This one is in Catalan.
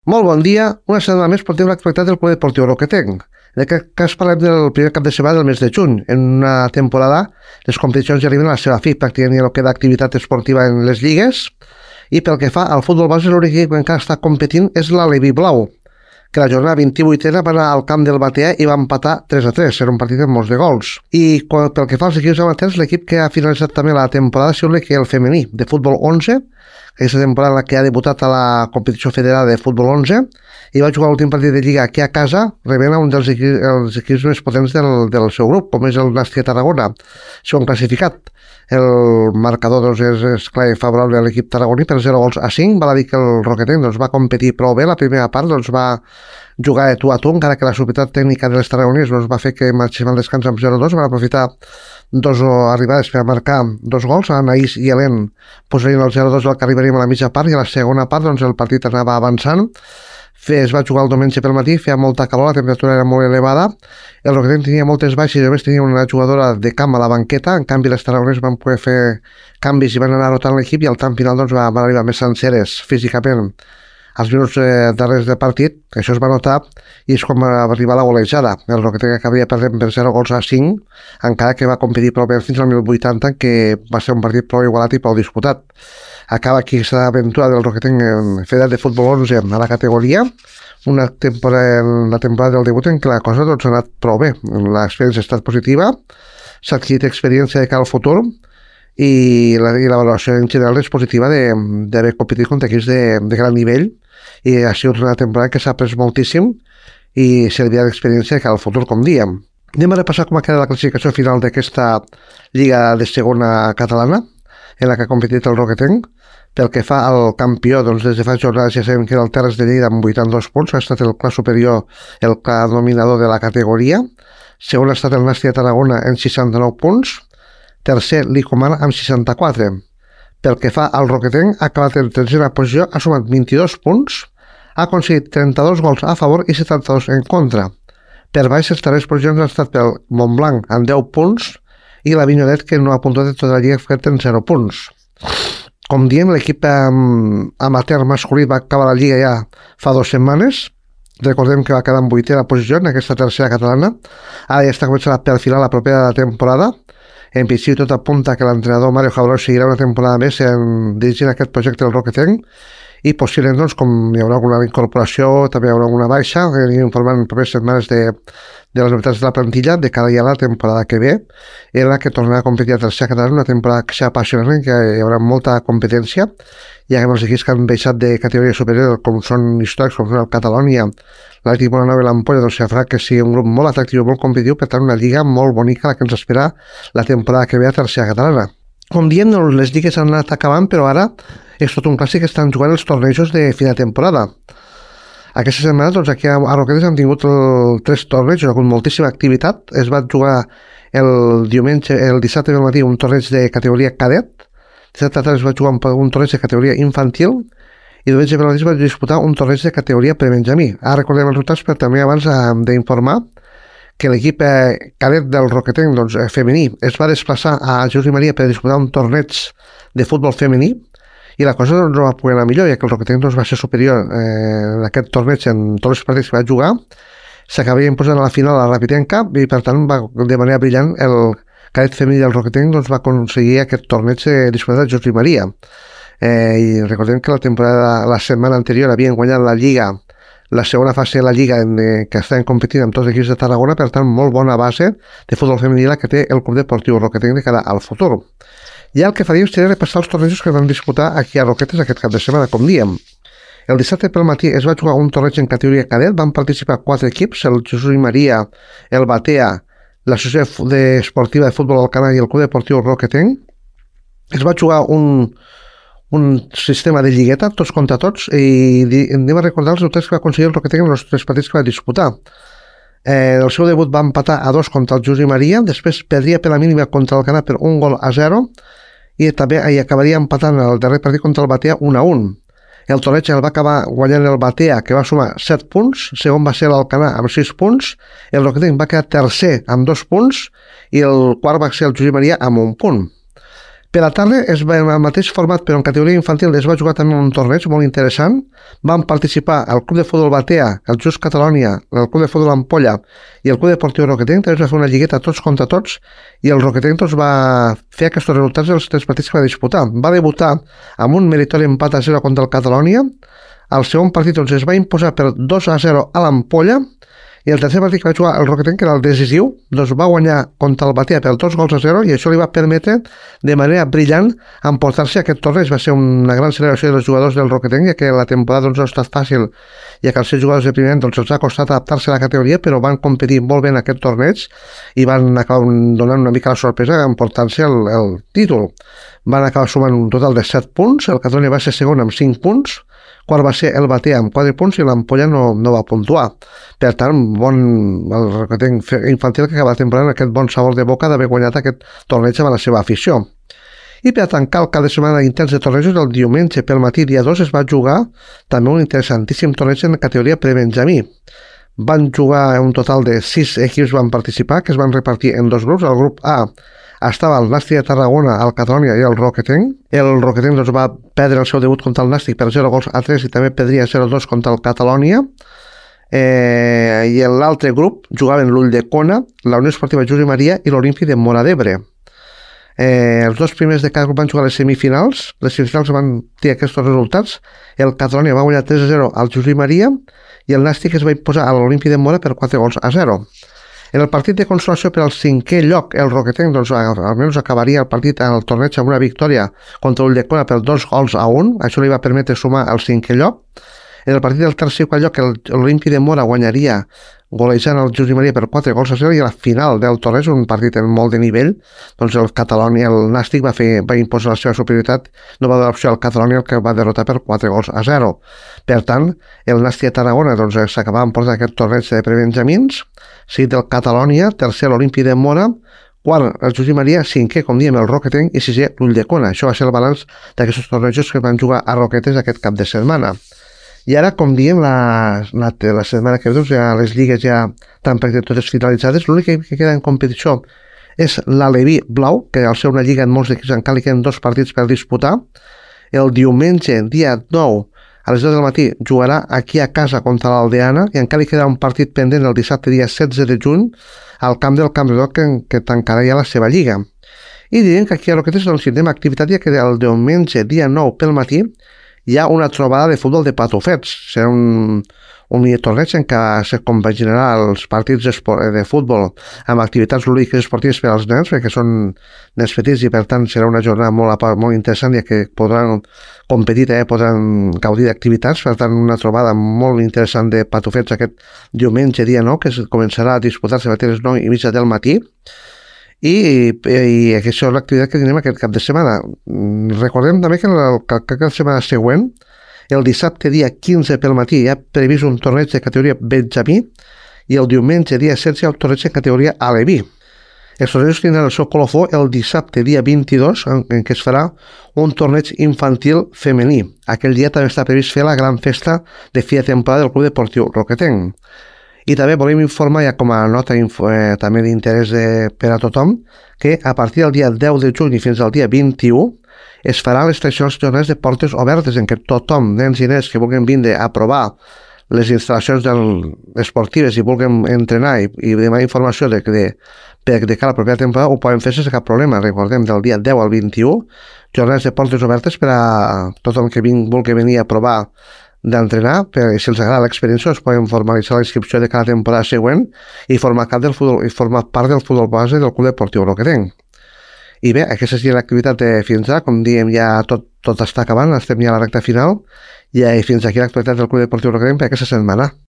Molt bon dia. Una setmana més portem l'actualitat del Club Deportiu Roquetenc. En aquest cas parlem del primer cap de setmana del mes de juny. En una temporada, les competicions ja arriben a la seva fi, pràcticament ja no queda activitat esportiva en les lligues. I pel que fa al futbol base, l'únic equip que encara està competint és l'Aleví Blau, que la jornada 28a va anar al camp del Batea i va empatar 3-3. Era un partit amb molts de gols. I pel que fa als equips amateurs, l'equip que ha finalitzat també la temporada ha sigut el femení de futbol 11, aquesta temporada en la que ha debutat a la competició federada de futbol 11 i va jugar l'últim partit de Lliga aquí a casa, rebent un dels equips més potents del seu grup, com és el Nàstia Tarragona, segon classificat. El marcador és clar i favorable a l'equip tarragoní per 0-5. Val a dir que el Roquetenc va competir prou bé. La primera part va jugar de tu a tu, encara que la superioritat tècnica de les tarragonins va fer que marxéssim al descans amb 0-2. Van aprofitar dos arribades per marcar dos gols. Anaïs i Helen posarien el 0-2 del que arribaríem a la mitja part, i a la segona part el partit anava avançant. Es va jugar el diumenge pel matí, feia molta calor, la temperatura era molt elevada, el Roquetenc tenia moltes baixes i només tenia una jugadora de camp a la banqueta. En canvi les tarragonins van poder fer canvis i van anar rotant l'equip, i al tant final van arribar més senceres físicament als minuts darrers del partit. Això es va notar i és com va arribar la golejada. El Roquetenc acabaria perdent per 0-5, encara que va competir prou bé fins al 1080, que va ser un partit prou igualat i prou disputat. Acaba aquí aquesta aventura del Roquetenc federat de futbol 11 a la categoria, la temporada del debut en què la cosa ha anat prou bé. L'experiència ha estat positiva, s'ha adquirit experiència de cara al futur, i la valoració en general és positiva d'haver competit contra equips de gran nivell, i ha sigut una temporada que s'ha après moltíssim i servia d'experiència de cara al futur, com dèiem. Anem a repassar com ha quedat la classificació final d'aquesta Lliga de Segona Catalana, en la que ha competit el Roquetenc. Pel que fa al campió, des de fa jornades ja sabem que era el Terres de Lleida amb 82 punts, ha estat el clar superior, el clar dominador de la categoria. Segon ha estat el Nàstia Tarragona amb 69 punts, tercer l'Icomar amb 64. Pel que fa al Roquetenc, ha acabat en tercera posició, ha sumat 22 punts, ha aconseguit 32 gols a favor i 72 en contra. Per baix, les darreres posicions han estat pel Montblanc amb 10 punts i la Vinyolet, que no ha puntuat de tota la lliga, fet en 0 punts. Com diem, l'equip amateur masculí va acabar la lliga ja fa 2 setmanes. Recordem que va quedar en 8a posició en aquesta tercera catalana. Ara ja està començant a perfilar la propera temporada. En principi tot apunta que l'entrenador Mario Jaurós seguirà una temporada més dirigint aquest projecte del Roquetenc, i possiblement, com hi haurà alguna incorporació, també hi haurà alguna baixa, anirem informant en properes setmanes de les novetats de la plantilla de cara a la temporada que ve, en la que tornarà a competir a tercera catalana, una temporada que serà apassionant, que hi haurà molta competència, ja que els equips que han baixat de categoria superior, com són històrics, com són el Catalònia, l'Atlètic Bonanova i l'Ampolla, farà que sigui un grup molt atractiu, molt competitiu, per tant una lliga molt bonica la que ens espera la temporada que ve a tercera catalana. Com diem, les lligues han anat acabant, però ara és tot un clàssic que estan jugant els tornejos de fi de temporada. Aquesta setmana, aquí a Roquetes hem tingut 3 tornejos, ha hagut moltíssima activitat. Es va jugar el dissabte del matí un torneig de categoria cadet, dissabte es va jugar un torneig de categoria infantil, i diumenge pel matí es va disputar un torneig de categoria prebenjamí. Ara recordem els resultats, però també abans d'informar que l'equip cadet del Roquetenc femení es va desplaçar a Jesús i Maria per disputar un torneig de futbol femení, i la cosa no va poder anar millor, ja que el Roquetenc va ser superior en aquest torneig en tots els partits que va jugar. S'acabaria imposant a la final a la Rapitenca, i per tant de manera brillant el cadet femení del Roquetenc va aconseguir aquest torneig disputat a Jesús i Maria. I recordem que la setmana anterior havien guanyat la Lliga, la segona fase de la Lliga, que estaven competint amb tots els equips de Tarragona. Per tant, molt bona base de futbol femení la que té el Club Deportiu Roquetenc de cara al futur. I el que faríem seria repassar els tornejos que van disputar aquí a Roquetes aquest cap de setmana, com diem. El dissabte pel matí es va jugar un torneig en categoria cadet, van participar 4 equips, el Jesús i Maria, el Batea, l'Associació Esportiva de Futbol Alcanar i el Club Deportiu Roquetenc. Es va jugar un sistema de lligueta, tots contra tots, i anem a recordar els resultats que va aconseguir el Roquetenc en els 3 partits que va disputar. El seu debut va empatar a 2 contra el Jesús i Maria, després perdria per la mínima contra l'Alcanar per 1-0, i també hi acabaria empatant el darrer partit contra el Batea 1-1. El torneig el va acabar guanyant el Batea, que va sumar 7 punts, segon va ser l'Alcanar amb 6 punts, el Roquetenc va quedar tercer amb 2 punts, i el quart va ser el Jesús i Maria amb 1 punt. Per la tarda el mateix format, però en categoria infantil es va jugar també un torneig molt interessant. Van participar el Club de Futbol Batea, el Just Catalònia, el Club de Futbol Ampolla i el Club Deportiu Roquetenc. També es va fer una lligueta tots contra tots i el Roquetenc va fer aquests resultats dels 3 partits que va disputar. Va debutar amb un meritori empat a 0 contra el Catalònia. Al segon partit es va imposar per 2-0 a l'Ampolla. I el tercer partit que va jugar el Roquetenc, que era el decisiu, va guanyar contra el Batea per 2-0 i això li va permetre de manera brillant emportar-se aquest torneig. Va ser una gran celebració dels jugadors del Roquetenc, ja que la temporada no ha estat fàcil, ja que els 6 jugadors de primer any els ha costat adaptar-se a la categoria, però van competir molt bé en aquest torneig i van acabar donant una mica la sorpresa emportant-se el títol. Van acabar sumant un total de 7 punts, el Catalunya va ser segon amb 5 punts, quart va ser el Batea amb 4 punts i l'Ampolla no va puntuar. Per tant, el Roquetenc infantil que acaba la temporada amb aquest bon sabor de boca d'haver guanyat aquest torneig amb la seva afició. I per tancar el cap de setmana intens de tornejos, el diumenge pel matí, dia 2, es va jugar també un interessantíssim torneig en categoria prebenjamí. Van jugar un total de 6 equips van participar, que es van repartir en 2 grups. El grup A estava el Nàstic de Tarragona, el Catalònia i el Roquetenc. El Roquetenc va perdre el seu debut contra el Nàstic per 0-3 i també perdria 0-2 contra el Catalònia. I l'altre grup jugaven l'Ulldecona, la Unió Esportiva Josep Maria i l'Olímpic de Móra d'Ebre. Els 2 primers de cada grup van jugar les semifinals. Les semifinals van tenir aquests resultats. El Catalònia va guanyar 3-0 al Josep Maria i el Nàstic es va imposar a l'Olímpic de Móra per 4-0. En el partit de consolació per al 5è lloc, el Roquetenc almenys acabaria el partit en el torneig amb una victòria contra l'Ulldecona per 2-1. Això li va permetre sumar al 5è lloc. En el partit del tercer i quart lloc, l'Olímpic de Móra guanyaria golejant el Josep Maria per 4-0 i a la final del torneig, un partit amb molt de nivell, doncs el Catalònia, el Nàstic va imposar la seva superioritat, no va donar opció al Catalònia, el que va derrotar per 4-0. Per tant, el Nàstic de Tarragona s'acabava emportant aquest torneig de prebenjamins, seguit del Catalònia, tercer l'Olímpic de Móra, quart el Josep Maria, 5è, com diem, el Roquetenc i 6è l'Ulldecona. Això va ser el balanç d'aquests tornejos que van jugar a Roquetes aquest cap de setmana. I ara, com diem, la setmana que ve, ja les lligues ja estan pràcticament totes finalitzades. L'únic que queda en competició és l'Aleví Blau, que al ser una lliga en molts equips encara li queden 2 partits per disputar. El diumenge, dia 9, a les 10 del matí, jugarà aquí a casa contra l'Aldeana i encara li queda un partit pendent el dissabte, dia 16 de juny, al camp del Camprodon, que tancarà ja la seva lliga. I direm que aquí a Roquetes tindrem activitat, ja que el diumenge, dia 9 pel matí, hi ha una trobada de futbol de patufets. Serà un torneig en què se compaginarà els partits de futbol amb activitats lúdiques esportives per als nens, perquè són nens petits i per tant serà una jornada molt interessant, ja que podran competir, podran gaudir d'activitats. Per tant, una trobada molt interessant de patufets aquest diumenge, dia 9, que començarà a disputar-se a les 9:30 del matí. I aquesta és l'activitat que tenim aquest cap de setmana. Recordem també que la setmana següent, el dissabte dia 15 pel matí, hi ha previst un torneig de categoria benjamí i el diumenge dia 16 hi ha un torneig de categoria aleví. Els tornejos tindran el seu colofó el dissabte dia 22, en què es farà un torneig infantil femení. Aquell dia també està previst fer la gran festa de fi de temporada del Club Deportiu Roquetenc. I també volem informar, ja com a nota també d'interès per a tothom, que a partir del dia 10 de juny fins al dia 21 es faran les tradicionals jornades de portes obertes en què tothom, nens i nenes que vulguin vindre a provar les instal·lacions esportives i vulguin entrenar i demanar informació de cara a la propera temporada, ho poden fer sense cap problema. Recordem, del dia 10 al 21, jornades de portes obertes per a tothom que vulgui venir a provar d'entrenar, si els agrada l'experiència es poden formalitzar la inscripció de cada temporada següent i formar part del futbol base del Club Deportiu Roquetenc. I bé, aquesta seria l'activitat de fins ara, com diem ja tot està acabant, estem ja a la recta final i fins aquí l'actualitat del Club Deportiu Roquetenc per aquesta setmana.